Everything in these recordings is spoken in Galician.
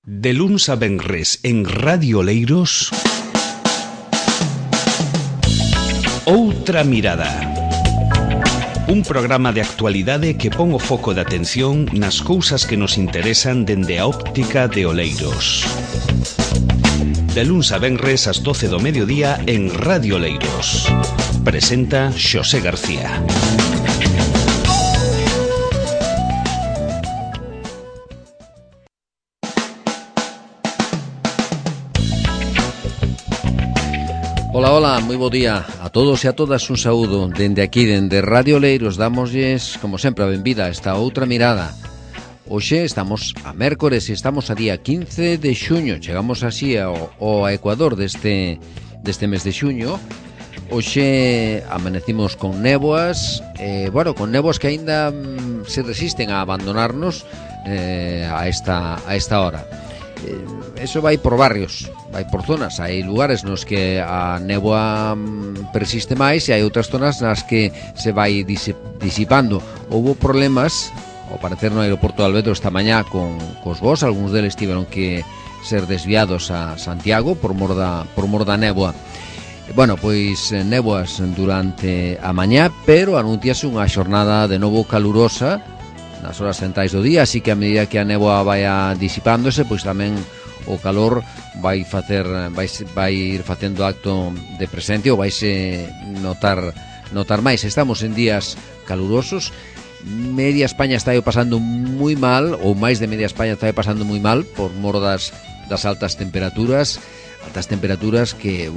De luns a venres en Radio Oleiros, Outra Mirada. Un programa de actualidade que pon o foco de atención nas cousas que nos interesan dende a óptica de Oleiros. De luns a venres ás 12 do mediodía en Radio Oleiros. Presenta Xosé García. Ola, moi bo día a todos e a todas, un saúdo dende aquí, dende Radio Oleiros. Dámoslles, como sempre, a benvida a esta outra mirada. Hoxe estamos a mércores e estamos a día 15 de xuño. Chegamos así ao ecuador deste mes de xuño. Hoxe amanecimos con néboas, con néboas que aínda se resisten a abandonarnos a esta hora. Eso vai por barrios, vai por zonas. Hai lugares nos que a néboa persiste máis e hai outras zonas nas que se vai disipando. Houbo problemas, ao parecer, no aeroporto de Alvedro esta mañá cos voos. Algúns deles tiveron que ser desviados a Santiago por mor da néboa. Bueno, pois néboas durante a mañá, pero anunciase unha xornada de novo calurosa nas horas centrais do día, así que a medida que a néboa vai disipándose, pois tamén o calor vai ir facendo acto de presencia ou vaise notar máis. Estamos en días calurosos. Media España está pasando moi mal, ou máis de media España está pasando moi mal por mor das altas temperaturas que,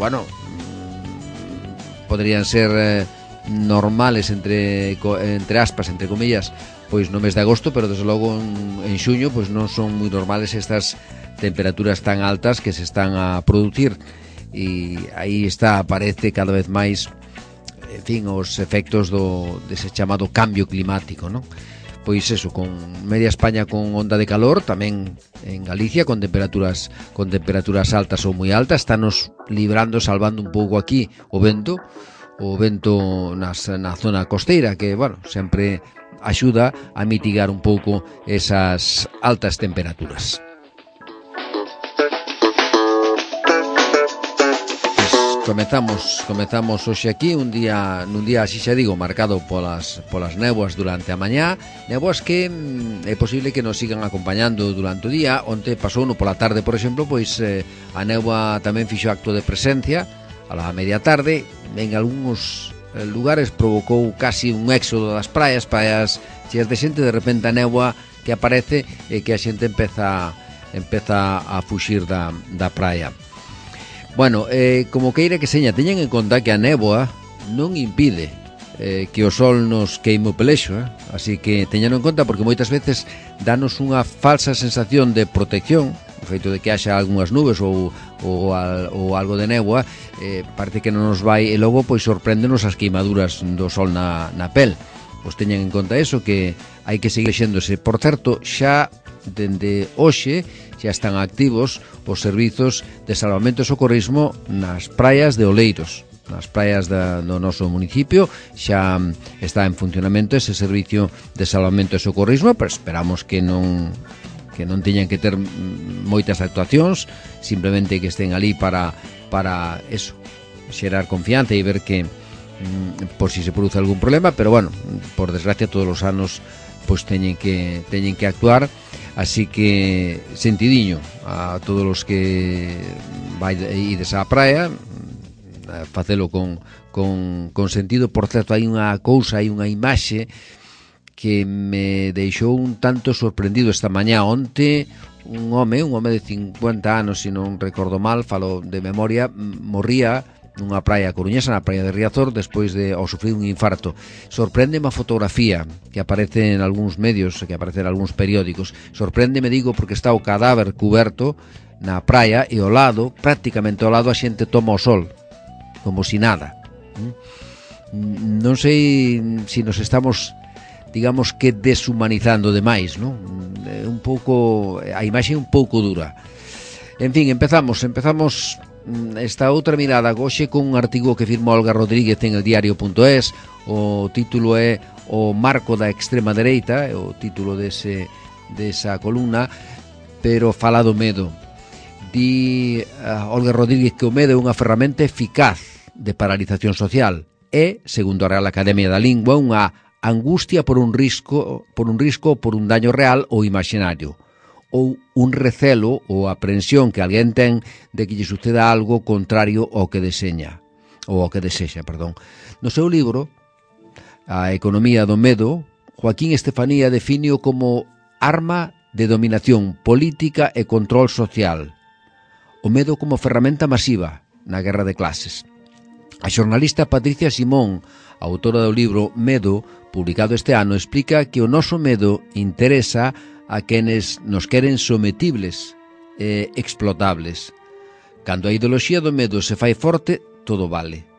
poderían ser normales entre aspas, entre comillas, pois no mes de agosto, pero desde logo en xuño pois non son moi normales estas temperaturas tan altas que se están a producir, e aí aparece cada vez máis, en fin, os efectos dese chamado cambio climático, non? Pois eso, con media España con onda de calor, tamén en Galicia con temperaturas altas ou moi altas. Estános salvando un pouco aquí o vento na zona costeira, que, sempre axuda a mitigar un pouco esas altas temperaturas. Comezamos hoxe aquí nun día así xa digo, marcado polas néboas durante a mañá, néboas que é posible que nos sigan acompañando durante o día. Onte pasou pola tarde, por exemplo, pois a néboa tamén fixo acto de presencia a la media tarde. En algúns lugares provocou casi un éxodo das praias cheas de xente. De repente a néboa que aparece e que a xente empeza a fuxir da praia. Como queira que seña, teñen en conta que a néboa non impide que o sol nos queime o pelexo, así que teñan en conta, porque moitas veces danos unha falsa sensación de protección o feito de que haxa algunhas nubes ou algo de néboa. Parece que non nos vai, e logo pois sorpréndenos as queimaduras do sol na pel. Pois teñan en conta eso, que hai que seguir xéndose. Por certo, xa dende hoxe xa están activos os servizos de salvamento e socorrismo nas praias de Oleiros. Nas praias do noso municipio xa está en funcionamento ese servicio de salvamento e socorrismo, pero esperamos que non teñan que ter moitas actuacións, simplemente que estén ali para eso, xerar confianza e ver que por si se produce algún problema. Pero por desgracia todos os anos pois teñen que actuar, así que sentidiño a todos os que ides á praia, facelo con sentido. Por certo, hai unha imaxe que me deixou un tanto sorprendido esta mañá. Onte un home de 50 anos, se non recordo mal, falo de memoria, morría nunha praia coruñesa, na praia de Riazor, despois de sufrir un infarto. Sorpréndeme a fotografía que aparece en algúns medios, que aparece en algúns periódicos. Sorpréndeme, digo, porque está o cadáver cuberto na praia e prácticamente ao lado, a xente toma o sol como si nada. Non sei se nos estamos, digamos que, deshumanizando demais, non? Un pouco, a imaxe é un pouco dura. En fin, empezamos esta outra mirada hoxe con un artigo que firmou Olga Rodríguez en el diario.es. O título é O marco da extrema dereita, é o título desa columna. pero fala do medo. Di Olga Rodríguez que o medo é unha ferramenta eficaz de paralización social. É, segundo a Real Academia da Lingua, unha angustia por un risco ou por un daño real ou imaginario, ou un recelo ou aprensión que alguén ten de que lle suceda algo contrario ao que desexa. No seu libro, A economía do medo, Joaquín Estefanía defíneo como arma de dominación política e control social. O medo como ferramenta masiva na guerra de clases. A xornalista Patricia Simón, autora do libro Medo, publicado este ano, explica que o noso medo interesa a quenes nos queren sometibles e explotables. Cando a ideoloxía do medo se fai forte, todo vale.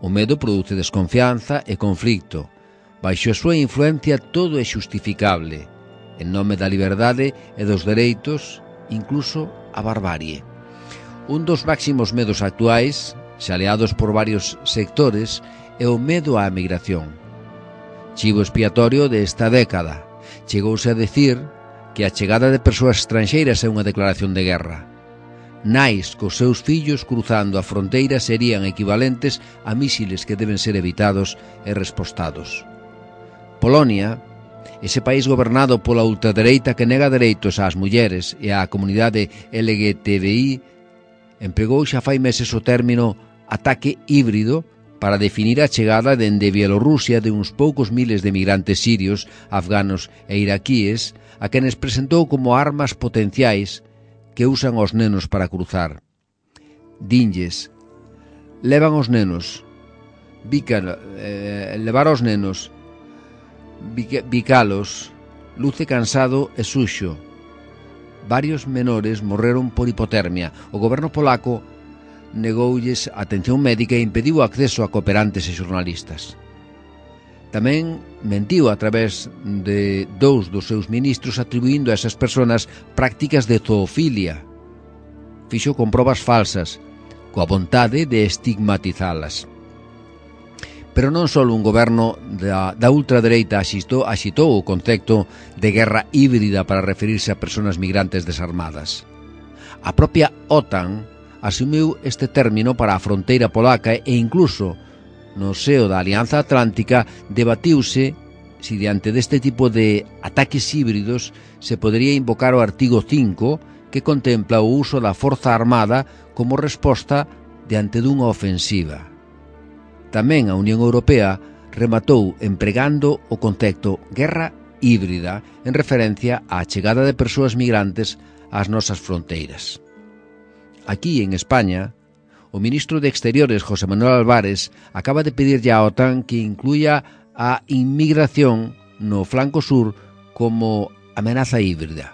O medo produce desconfianza e conflicto. Baixo a súa influencia todo é xustificable. En nome da liberdade e dos dereitos, incluso a barbarie. Un dos máximos medos actuais, xaleados por varios sectores, é o medo á migración. Chivo expiatorio desta década. Chegouse a decir que a chegada de persoas estranxeiras é unha declaración de guerra. Nais cos seus fillos cruzando a fronteira serían equivalentes a mísiles que deben ser evitados e respostados. Polonia, ese país gobernado pola ultradereita que nega dereitos ás mulleres e á comunidade LGTBI, empregou xa fai meses o término ataque híbrido para definir a chegada dende Bielorrusia de uns poucos miles de migrantes sirios, afganos e iraquíes, a quenes presentou como armas potenciais que usan os nenos para cruzar. Dinlles, levan os nenos, levar os nenos, bicalos, luce cansado e suxo. Varios menores morreron por hipotermia. O goberno polaco negoulles atención médica e impediu o acceso a cooperantes e xornalistas. Tamén mentiu a través de dous dos seus ministros atribuindo a esas persoas prácticas de zoofilia. Fixo con probas falsas, coa vontade de estigmatizalas. Pero non só un goberno da ultradereita axitou o concepto de guerra híbrida para referirse a persoas migrantes desarmadas. A propia OTAN asumiu este término para a fronteira polaca e incluso no seo da Alianza Atlántica debatiuse se diante deste tipo de ataques híbridos se podería invocar o artigo 5 que contempla o uso da forza armada como resposta diante dunha ofensiva. Tamén a Unión Europea rematou empregando o concepto guerra híbrida en referencia á chegada de persoas migrantes ás nosas fronteiras. Aquí, en España, o ministro de Exteriores, José Manuel Álvarez, acaba de pedirlle á OTAN que incluya a inmigración no flanco sur como amenaza híbrida.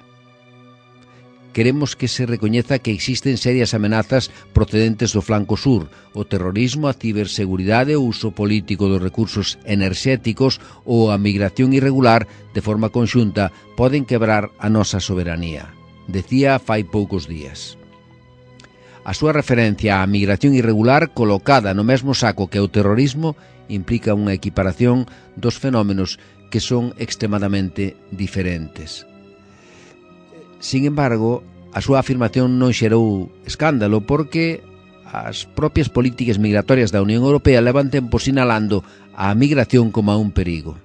Queremos que se recoñeza que existen serias amenazas procedentes do flanco sur, o terrorismo, a ciberseguridade, o uso político dos recursos enerxéticos ou a migración irregular de forma conxunta poden quebrar a nosa soberanía, decía fai poucos días. A súa referencia á migración irregular colocada no mesmo saco que o terrorismo implica unha equiparación dos fenómenos que son extremadamente diferentes. Sin embargo, a súa afirmación non xerou escándalo porque as propias políticas migratorias da Unión Europea levan tempo sinalando a migración como a un perigo.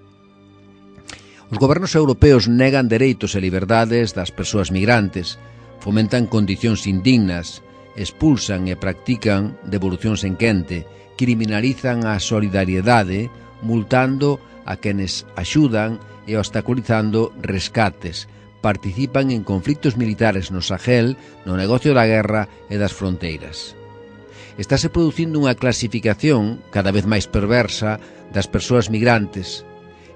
Os gobernos europeos negan dereitos e liberdades das persoas migrantes, fomentan condicións indignas, expulsan e practican devolucións en quente, criminalizan a solidariedade, multando a quenes axudan e obstaculizando rescates, participan en conflictos militares no Sahel, no negocio da guerra e das fronteiras. Estáse producindo unha clasificación cada vez máis perversa das persoas migrantes.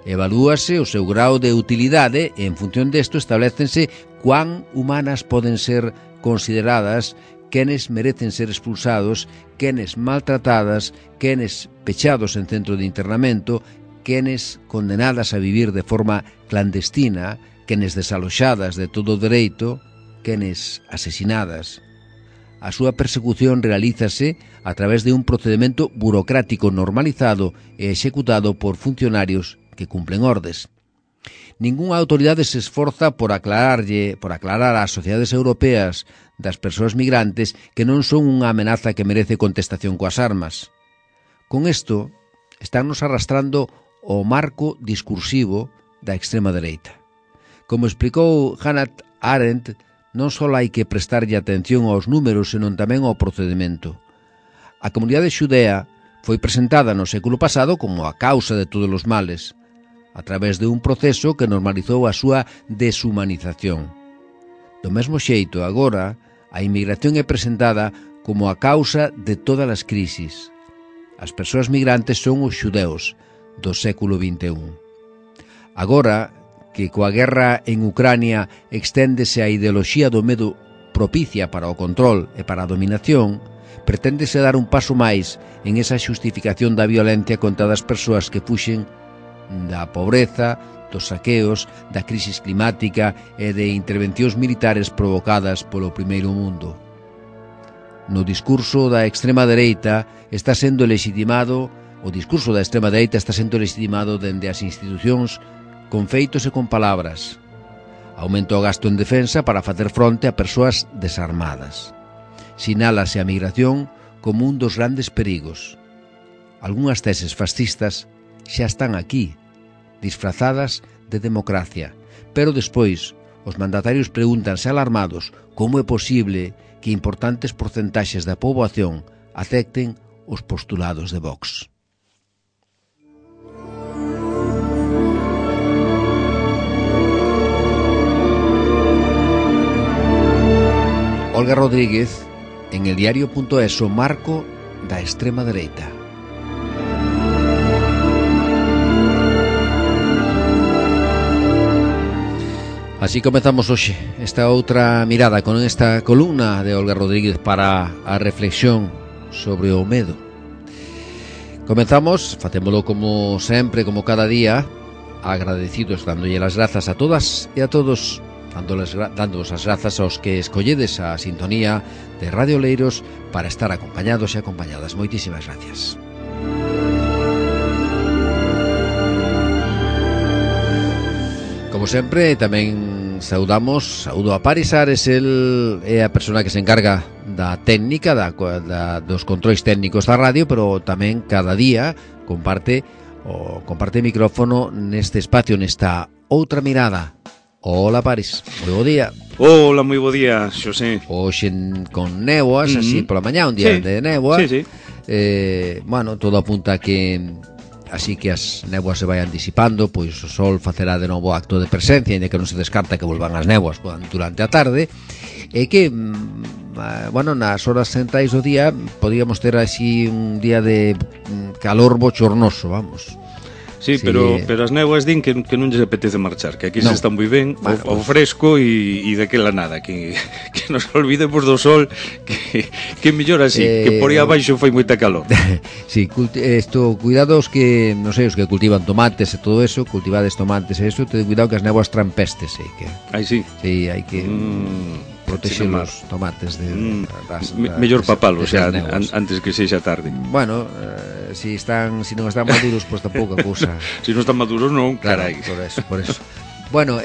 Evalúase o seu grau de utilidade e en función desto establécense cuán humanas poden ser consideradas, quenes merecen ser expulsados, quenes maltratadas, quenes pechados en centro de internamento, quenes condenadas a vivir de forma clandestina, quenes desaloxadas de todo o dereito, quenes asesinadas. A súa persecución realízase a través de un procedimento burocrático normalizado e executado por funcionarios que cumplen ordes. Ningunha autoridade se esforza por aclarar ás sociedades europeas das persoas migrantes que non son unha amenaza que merece contestación coas armas. Con isto, estánnos arrastrando o marco discursivo da extrema dereita. Como explicou Hannah Arendt, non só hai que prestarlle atención aos números, senón tamén ao procedimento. A comunidade xudea foi presentada no século pasado como a causa de todos os males, a través de un proceso que normalizou a súa deshumanización. Do mesmo xeito, agora, a inmigración é presentada como a causa de todas as crisis. As persoas migrantes son os xudeus do século XXI. Agora, que coa guerra en Ucrania exténdese a ideoloxía do medo propicia para o control e para a dominación, preténdese dar un paso máis en esa xustificación da violencia contra as persoas que fuxen da pobreza, dos saqueos, da crisis climática e de intervencións militares provocadas polo primeiro mundo. No discurso da extrema dereita está sendo legitimado, o discurso da extrema dereita está sendo legitimado dende as institucións con feitos e con palabras. Aumenta o gasto en defensa para facer fronte a persoas desarmadas. Sinálase a migración como un dos grandes perigos. Algúnas teses fascistas xa están aquí, disfrazadas de democracia, pero despois os mandatarios pregúntanse alarmados como é posible que importantes porcentaxes da poboación acepten os postulados de Vox. Olga Rodríguez, en el diario.es, o marco da extrema dereita. Así comezamos hoxe esta outra mirada con esta columna de Olga Rodríguez para a reflexión sobre o medo. Comenzamos, facémolo como sempre, como cada día, agradecidos, dándolle as grazas a todas e a todos, dándoos as grazas aos que escolledes a sintonía de Radio Oleiros para estar acompañados e acompañadas. Moitísimas gracias. Como sempre, tamén saúdo a Paris Ares, el é a persona que se encarga da técnica, dos controis técnicos da radio, pero tamén cada día comparte micrófono neste espacio, nesta outra mirada. Hola, Paris, moi bo día. Hola, moi bo día, Xosé. Hoxe con néboas, así pola mañá, un día de néboa. Sí. Bueno, todo apunta a que así que as néboas se vayan disipando, pois o sol facerá de novo acto de presencia, ainda que non se descarta que volvan as néboas durante a tarde, e que, bueno, nas horas centrais do día podíamos ter así un día de calor bochornoso, vamos. Sí, pero as néboas din que non lles apetece marchar, que aquí se está moi ben, o fresco e daquela nada, que nos olvidemos do sol, que mellor así, que por aí abaixo foi moita calor. Sí, cuidados que, non sei, os que cultivan tomates e todo eso, cultivades tomates e eso, ten cuidado que as néboas traen pestes, Aí sí. Sí, hai que protexer os tomates mellor papalos xa antes que sexa tarde. Bueno, si non están maduros, pois tampouco a cousa. Si non están maduros non, carai. Por eso. Bueno,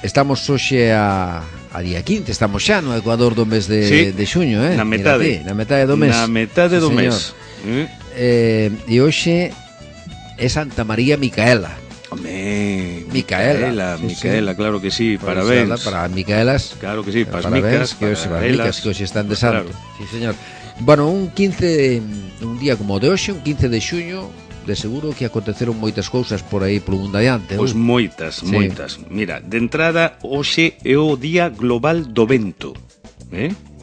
estamos hoxe a día 15, estamos xa no Ecuador do mes de xuño, na metade do mes. Na metade do mes. E hoxe é Santa María Micaela. Micaela, claro que sí, parabéns. Para Micaelas. Claro que sí, para as micas, que hoxe están de santo. Sí, señor. Bueno, un día como o de hoxe, un 15 de xuño, de seguro que aconteceron moitas cousas por aí polo mundo adiante. Pois moitas. Mira, de entrada, hoxe é o Día Global do Vento.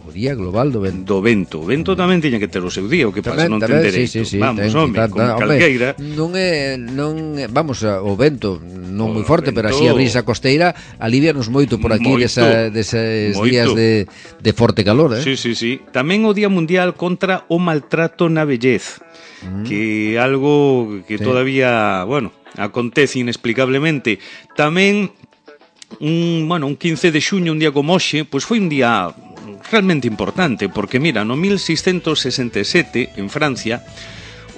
O Día Global do Vento. O vento tamén tiña que ter o seu día, o que pasa, non ten dereito. Sí, vamos, home, con calqueira. Non é, vamos, o vento non moi forte, pero así a brisa costeira alivianos moito por aquí deses días de forte calor, Sí. Tamén o Día Mundial contra o Maltrato na Vellez, que é algo que todavía, bueno, acontece inexplicablemente. Tamén un 15 de xuño, un día como hoxe, pois foi un día realmente importante, porque mira, no 1667 en Francia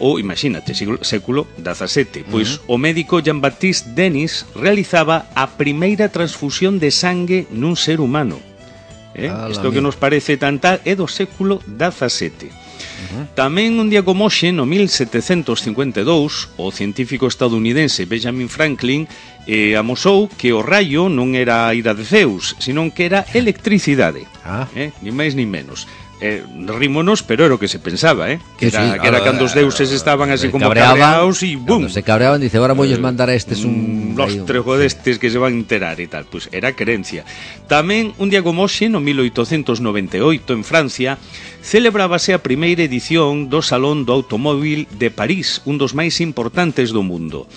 ou, imagínate, século XVII. Pois o médico Jean-Baptiste Denis realizaba a primeira transfusión de sangue nun ser humano. Isto que nos parece tan tal é do século XVII. Tamén un día como hoxe, no 1752, o científico estadounidense Benjamin Franklin amosou que o raio non era a ira de Zeus, senón que era electricidade. Ni máis ni menos. Rímonos, pero era o que se pensaba, que era cando os deuses estaban así como cabreados e bum. Se cabreaban, dice, agora voulles mandar a estes un lostrejo destes que se van a enterar e tal. Pois era creencia. Tamén un día como hoxe, no 1898, en Francia, celebrábase a primeira edición do Salón do Automóvil de París, un dos máis importantes do mundo.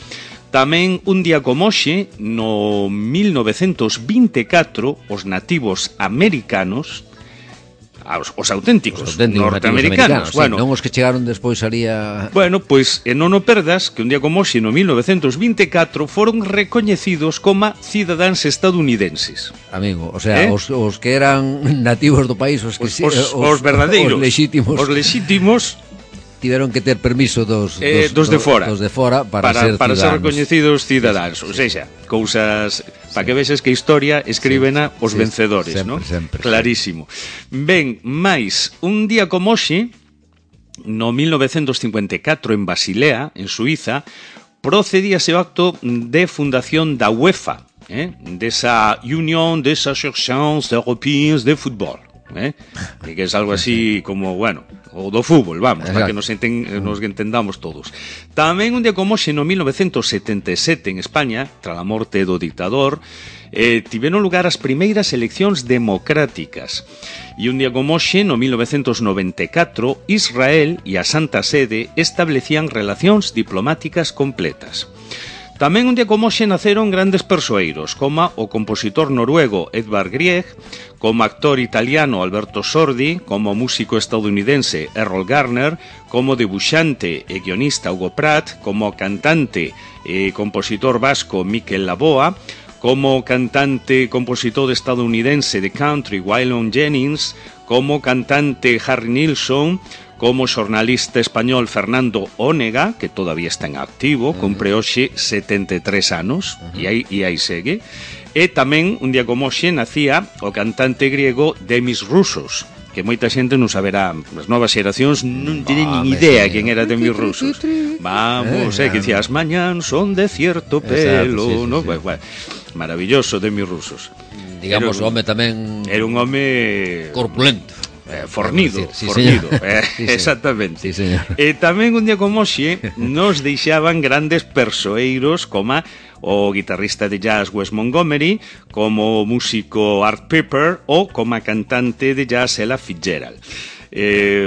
Tamén un día como hoxe, no 1924, os nativos americanos, os auténticos norteamericanos, bueno, non os que chegaron despois alía... Bueno, pois non o perdas que un día como hoxe, no 1924, foron recoñecidos como cidadáns estadounidenses. Amigo, o sea, os que eran nativos do país, os verdadeiros, os lexítimos tiveron que ter permiso dos de fora para ser recoñecidos cidadáns. O sea, cousas para que vexes que a historia escríbena os vencedores, non? Clarísimo. Ben, máis, un día como hoxe, no 1954, en Basilea, en Suiza, procedíase o acto de fundación da UEFA, desa Unión des Associations Européennes de Fútbol. Que é algo así como, bueno, o do fútbol, vamos, para que nos entendamos todos. Tamén un día como hoxe, no 1977, en España, tras a morte do dictador, tiveron lugar as primeiras eleccións democráticas. E un día como hoxe, no 1994, Israel e a Santa Sede establecían relacións diplomáticas completas. Tamén un día como hoxe naceron grandes persoeiros, como o compositor noruego Edvard Grieg, como actor italiano Alberto Sordi, como músico estadounidense Errol Garner, como debuxante e guionista Hugo Pratt, como cantante e compositor vasco Mikel Laboa, como cantante e compositor estadounidense de country Waylon Jennings, como cantante Harry Nilsson, como xornalista español Fernando Ónega, que todavía está en activo, cumpre hoxe 73 anos, e aí segue. E tamén, un día como hoxe, nacía o cantante griego Demis Roussos, que moita xente non saberá, as novas xeracións non tienen ni idea quen era Demis Roussos. Vamos, que dicía, as mañán son de cierto pelo, ¿no? Maravilloso Demis Roussos. Digamos, o home tamén... Era un home... corpulento. Fornido, sí, fornido, sí, exactamente. Sí, señor. E tamén un día como hoxe nos deixaban grandes persoeiros como o guitarrista de jazz Wes Montgomery, como o músico Art Pepper ou como a cantante de jazz Ella Fitzgerald.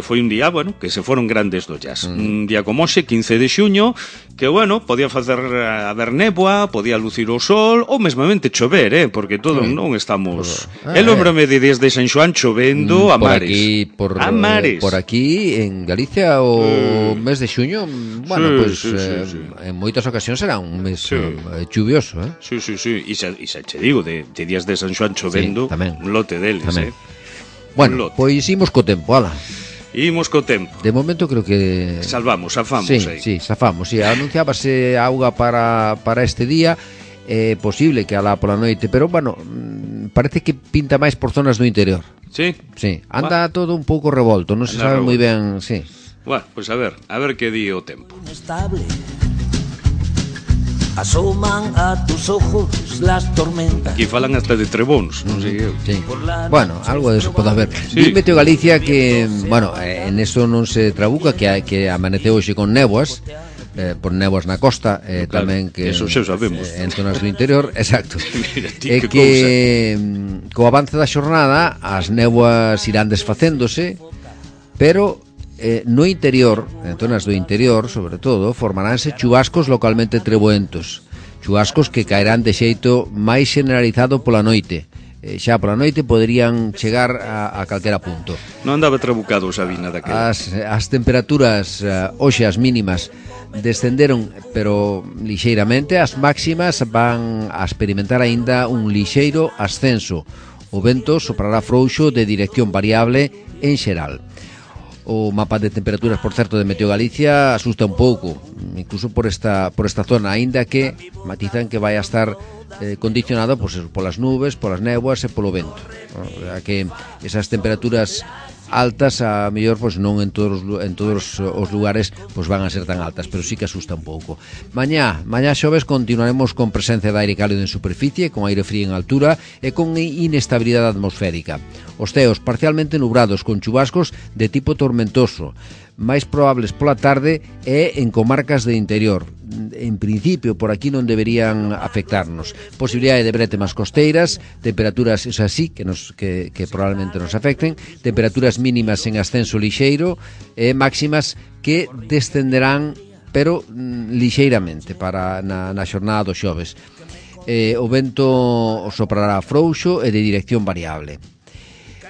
Foi un día, bueno, que se foron grandes do jazz. Un día como hoxe, 15 de xuño, que, bueno, podía facer haber néboa, podía lucir o sol, ou mesmamente chover, porque todo non estamos... Lembro-me de días de San Xoán chovendo a mares. A mares. Por aquí, en Galicia, o mes de xuño, bueno, pues en moitas ocasións será un mes chuvioso, Sí. E xa che digo, de días de San Xoán chovendo, un lote deles, Bueno, pois imos co tempo, ala. Imos co tempo. De momento creo que... Zafamos aí. Sí, zafamos. Anunciábase auga para este día, posible que alá pola noite, pero, bueno, parece que pinta máis por zonas do interior. Sí? Sí, anda todo un pouco revolto, non se sabe moi ben, sí. Bueno, pois a ver que di o tempo. Estable. Asoman a tus ojos las tormentas. Aquí falan hasta de trebóns, non sei eu. Sí. Bueno, algo de eso pode haber. Sí. Meteo Galicia que, bueno, en eso non se trabuca, que amaneceu hoxe con néboas, por néboas na costa, claro, tamén que eso xa sabemos. En zonas do interior, exacto. Mira, e que co avance da xornada as néboas irán desfacéndose, pero no interior, en zonas do interior, sobre todo, formaránse chubascos localmente treboentos, chubascos que caerán de xeito máis generalizado pola noite. Xa pola noite poderían chegar a calquera punto. Non andaba trabucado Sabina daquela. As temperaturas hoxe as mínimas descenderon, pero lixeiramente. As máximas van a experimentar aínda un lixeiro ascenso. O vento soprará frouxo de dirección variable en xeral. O mapa de temperaturas, por certo, de Meteo Galicia asusta un pouco, incluso por esta zona, aínda que matizan que vai a estar condicionado polas nubes, polas néboas e polo vento, ¿no? Que esas temperaturas altas a mellor non en todos os lugares van a ser tan altas, pero sí que asusta un pouco. Mañá xoves continuaremos con presencia de aire cálido en superficie, con aire frío en altura e con inestabilidade atmosférica. Os ceos parcialmente nubrados con chubascos de tipo tormentoso, máis probables pola tarde e en comarcas de interior. En principio, por aquí non deberían afectarnos. Posibilidade de brétemas costeiras, temperaturas, eso así, que probablemente nos afecten, temperaturas mínimas en ascenso lixeiro e máximas que descenderán, pero lixeiramente, para na xornada do xoves. O vento soprará frouxo e de dirección variable.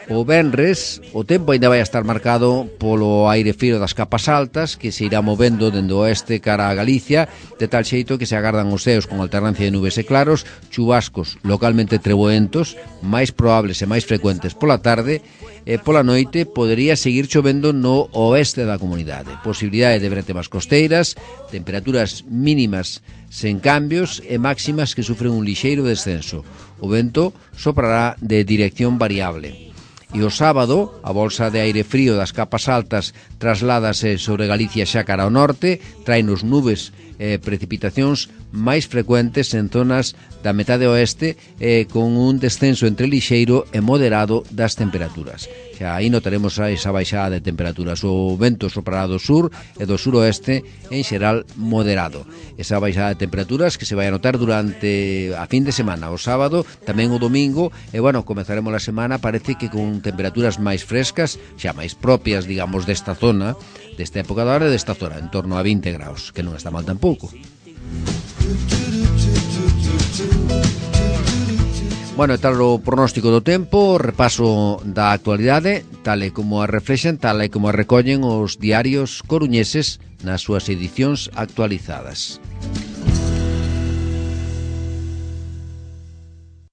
O venres, o tempo ainda vai estar marcado polo aire frío das capas altas, que se irá movendo dende o oeste cara a Galicia, de tal xeito que se agardan os ceos con alternancia de nubes e claros, chubascos localmente treboentos, máis probables e máis frecuentes pola tarde, e pola noite podería seguir chovendo no oeste da comunidade. Posibilidade de brétemas costeiras, temperaturas mínimas sen cambios e máximas que sufren un lixeiro descenso. O vento soprará de dirección variable. E o sábado, a bolsa de aire frío das capas altas trasládase sobre Galicia xa cara ao norte, traenos nubes e precipitacións máis frecuentes en zonas da metade oeste con un descenso entre lixeiro e moderado das temperaturas. Xa aí notaremos esa baixada de temperaturas. O vento soprará do sur e do suroeste, en xeral moderado. Esa baixada de temperaturas que se vai a notar durante a fin de semana, o sábado, tamén o domingo, e comezaremos a semana, parece que con temperaturas máis frescas, xa máis propias, digamos, desta zona, desta época da hora, desta zona, en torno a 20 graus, que non está mal tampouco. E tal o pronóstico do tempo, repaso da actualidade, tal e como a reflexen, tal e como a recollen os diarios coruñeses nas súas edicións actualizadas.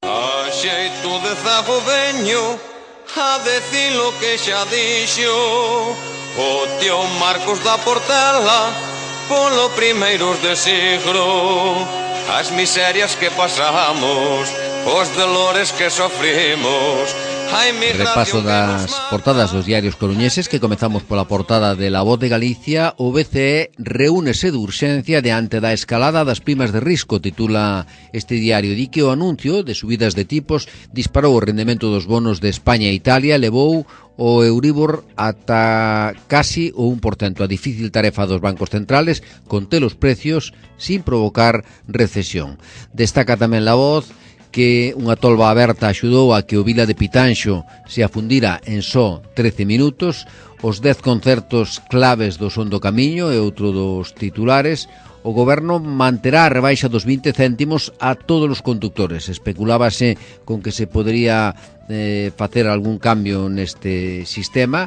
A xeito de zago veño a decir lo que xa dixo o tío Marcos da Portela polo primeiros de siglo, as miserias que pasamos, os dolores que sofrimos. Repaso das portadas dos diarios coruñeses, que comezamos pola portada de La Voz de Galicia. O BCE reúnese de urxencia diante da escalada das primas de risco, titula este diario. Di que o anuncio de subidas de tipos disparou o rendemento dos bonos de España e Italia, levou o Euribor ata casi o 1%. A difícil tarefa dos bancos centrales conter os precios sin provocar recesión. Destaca tamén La Voz que unha tolva aberta axudou a que o Vila de Pitanxo se afundira en só 13 minutos, os 10 concertos claves do Son do Camiño e outro dos titulares. O goberno manterá a rebaixa dos 20 céntimos a todos os conductores. Especulábase con que se podería facer algún cambio neste sistema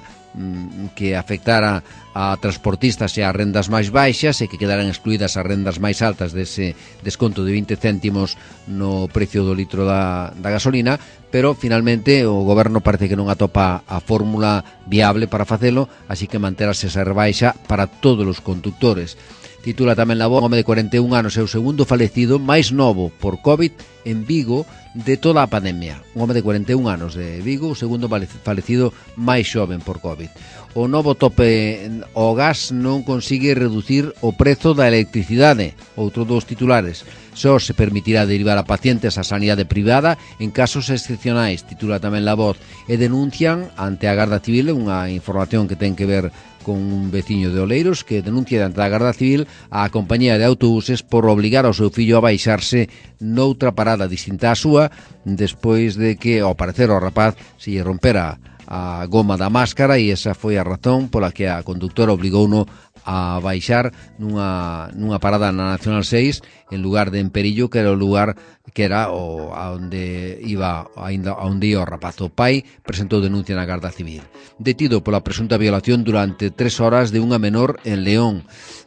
que afectara a transportistas e a rendas máis baixas e que quedaran excluídas as rendas máis altas dese desconto de 20 céntimos no precio do litro da gasolina, pero finalmente o goberno parece que non atopa a fórmula viable para facelo, así que manterase esa rebaixa para todos os conductores. Titula tamén La Voz: un home de 41 anos é o segundo falecido máis novo por COVID en Vigo de toda a pandemia. Un home de 41 anos de Vigo, o segundo falecido máis xoven por COVID. O novo tope ao gas non consigue reducir o prezo da electricidade. Outro dos titulares: só se permitirá derivar a pacientes á sanidade privada en casos excepcionais, titula tamén La Voz. E denuncian ante a Garda Civil, unha información que ten que ver con un veciño de Oleiros, que denuncia diante da Garda Civil a compañía de autobuses por obligar ao seu fillo a baixarse noutra parada distinta á súa, despois de que, ao parecer, ao rapaz se lle rompera a goma da máscara, e esa foi a razón pola que a conductora obligouno a baixar nunha parada na Nacional 6 en lugar de en Perillo, que era o lugar que era onde iba o rapaz. O pai presentou denuncia na Garda Civil. Detido pola presunta violación durante 3 horas de unha menor en León.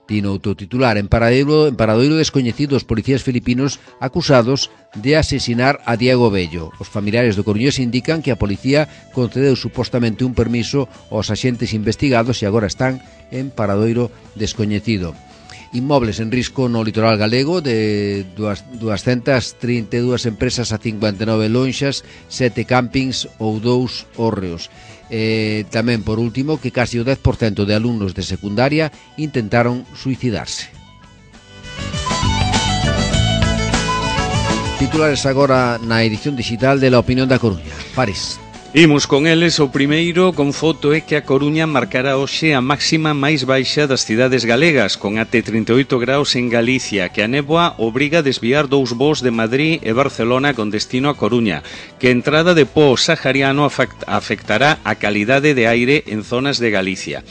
Tino outro titular. En paradoiro descoñecido, os policías filipinos acusados de asesinar a Diego Bello. Os familiares do coruñés indican que a policía concedeu supostamente un permiso aos axentes investigados e agora están en paradoiro descoñecido. Inmobles en risco no litoral galego, de 232 empresas a 59 lonxas, 7 campings ou 2 hórreos. Tamén, por último, que casi o 10% de alumnos de secundaria intentaron suicidarse. Titulares agora na edición digital de La Opinión da Coruña. Fares. Imos con eles. O primeiro con foto é que a Coruña marcará hoxe a máxima máis baixa das cidades galegas, con até 38 graus en Galicia, que a néboa obriga a desviar 2 voos de Madrid e Barcelona con destino a Coruña, que a entrada de pó sahariano afectará a calidade de aire en zonas de Galicia.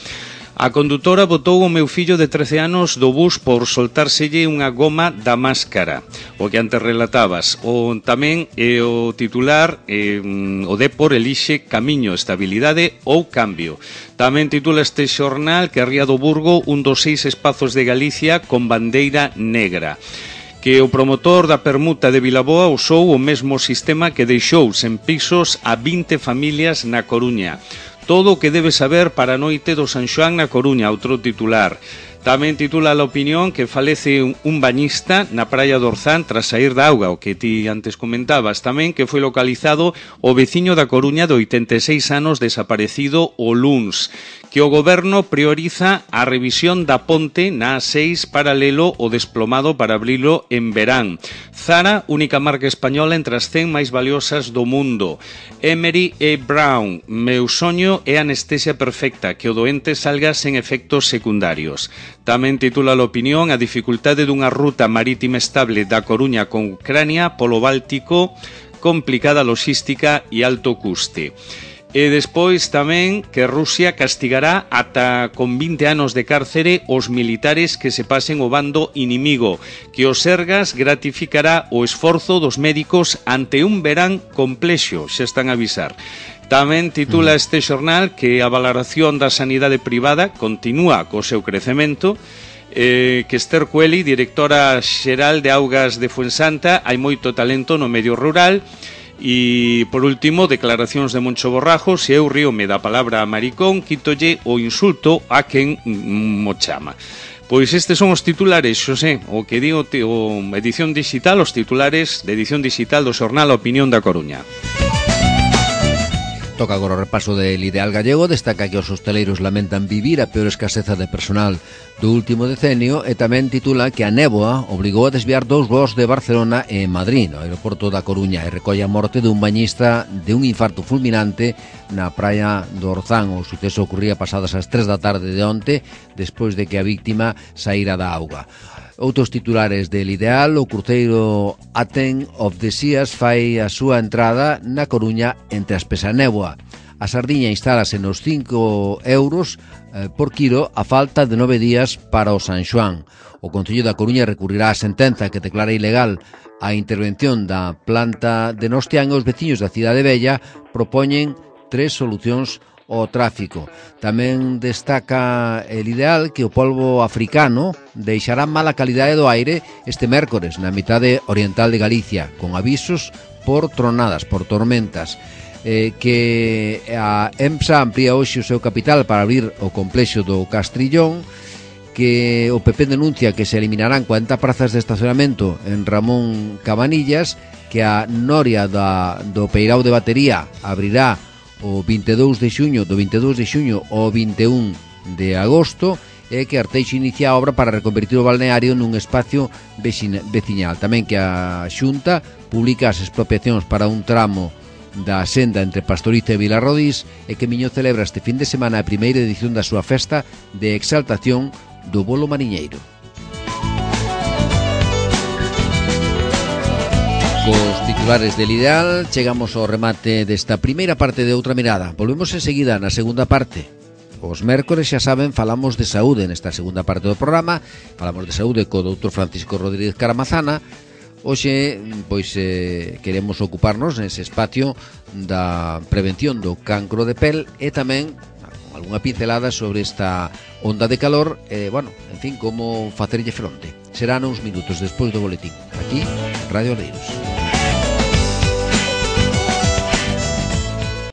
A condutora botou o meu fillo de 13 anos do bus por soltárselle unha goma da máscara, o que antes relatabas. Tamén o titular, o Depor elixe camiño, estabilidade ou cambio. Tamén titula este xornal que a Ría do Burgo, un dos 6 espazos de Galicia con bandeira negra. Que o promotor da permuta de Vilaboa usou o mesmo sistema que deixou sen pisos a 20 familias na Coruña. Todo o que debe saber para a noite do San Xoán na Coruña, outro titular. Tamén titula La Opinión que falece un bañista na praia do Orzán tras sair da auga, o que ti antes comentabas. Tamén que foi localizado o veciño da Coruña de 86 anos desaparecido o luns. Que o goberno prioriza a revisión da ponte na A6 paralelo o desplomado para abrilo en verán. Zara, única marca española entre as 100 máis valiosas do mundo. Emery e Brown, meu soño é anestesia perfecta, que o doente salga sen efectos secundarios. Tamén titula La Opinión a dificultade dunha ruta marítima estable da Coruña con Ucrania polo Báltico, complicada logística e alto custe. E despois tamén que Rusia castigará ata con 20 anos de cárcere os militares que se pasen o bando inimigo, que o Sergas gratificará o esforzo dos médicos ante un verán complexo, xa están a avisar. Tamén titula este xornal que a valoración da sanidade privada continúa co seu crecemento, que Esther Cueli, directora xeral de Augas de Fuensanta, hai moito talento no medio rural. E, por último, declaracións de Moncho Borrajo: se eu ríome da palabra maricón, quítolle o insulto a quen mo chama. Pois estes son os titulares, Xosé, o que digo o edición digital, os titulares de edición digital do xornal A Opinión da Coruña. Toca agora o repaso del Ideal Gallego. Destaca que os hosteleiros lamentan vivir a peor escaseza de personal do último decenio e tamén titula que a néboa obrigou a desviar 2 voos de Barcelona e Madrid, no aeroporto da Coruña, e recolle a morte dun bañista de un infarto fulminante na praia do Orzán. O suceso ocurría pasadas as 3 da tarde de onte, despois de que a víctima saíra da auga. Outros titulares del Ideal: o cruceiro Aten of the Seas fai a súa entrada na Coruña entre as pesa néboa. A sardiña instálase nos 5 euros por quilo a falta de 9 días para o San Xoán. O Concello da Coruña recurrirá a sentenza que declara ilegal a intervención da planta de Nostián e os veciños da Cidade Vella propoñen 3 solucións o tráfico. Tamén destaca el Ideal que o polvo africano deixará mala calidade do aire este mércores na mitade oriental de Galicia, con avisos por tronadas, por tormentas. Que a EMSA amplía hoxe o seu capital para abrir o complexo do Castrillón, que o PP denuncia que se eliminarán 40 prazas de estacionamento en Ramón Cabanillas, que a Noria do Peirao de Batería abrirá o 22 de xuño, do 22 de xuño ao 21 de agosto, e que Arteixo inicia a obra para reconvertir o balneario nun espacio veciñal. Tamén que a Xunta publica as expropiacións para un tramo da senda entre Pastoriza e Vilarrodís, e que Miño celebra este fin de semana a primeira edición da súa festa de exaltación do bolo mariñeiro. Cos titulares del Ideal chegamos ao remate desta primeira parte de Outra Mirada. Volvemos enseguida na segunda parte. Os mércores, xa saben, falamos de saúde nesta segunda parte do programa. Falamos de saúde co doutor Francisco Rodríguez Caramazana. Hoxe, pois, queremos ocuparnos nese espacio da prevención do cancro de pel e tamén algunha pincelada sobre esta onda de calor bueno, en fin, como facerlle fronte. Será uns minutos despois do boletín, aquí, en Radio Oleiros.